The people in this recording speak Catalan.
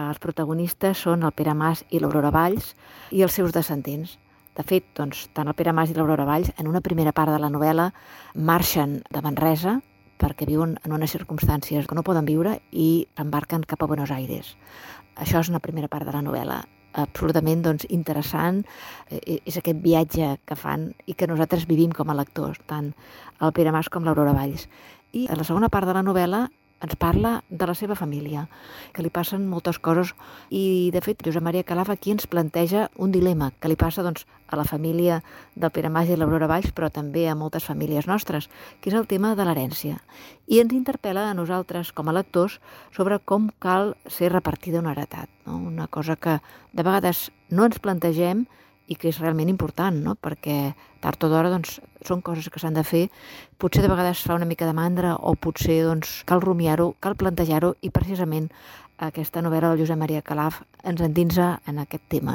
els protagonistes són el Pere Mas i l'Aurora Valls i els seus descendents. De fet, doncs, tant el Pere Mas i l'Aurora Valls, en una primera part de la novel·la, marxen de Manresa perquè viuen en unes circumstàncies que no poden viure i s'embarquen cap a Buenos Aires. Això és una primera part de la novel·la. Absolutament interessant, és aquest viatge que fan i que nosaltres vivim com a lectors, tant el Pere Mas com l'Aurora Valls. I a la segona part de la novel·la ens parla de la seva família, que li passen moltes coses i, de fet, Josep Maria Calaf aquí ens planteja un dilema que li passa a la família del Pere Mas i l'Aurora Valls, però també a moltes famílies nostres, que és el tema de l'herència. I ens interpel·la a nosaltres, com a lectors, sobre com cal ser repartida una heretat, no? Una cosa que de vegades no ens plantegem i que és realment important, no? Perquè tard o d'hora són coses que s'han de fer. Potser de vegades fa una mica de mandra o potser cal rumiar-ho, cal plantejar-ho i precisament aquesta novel·la del Josep Maria Calaf ens endinsa en aquest tema.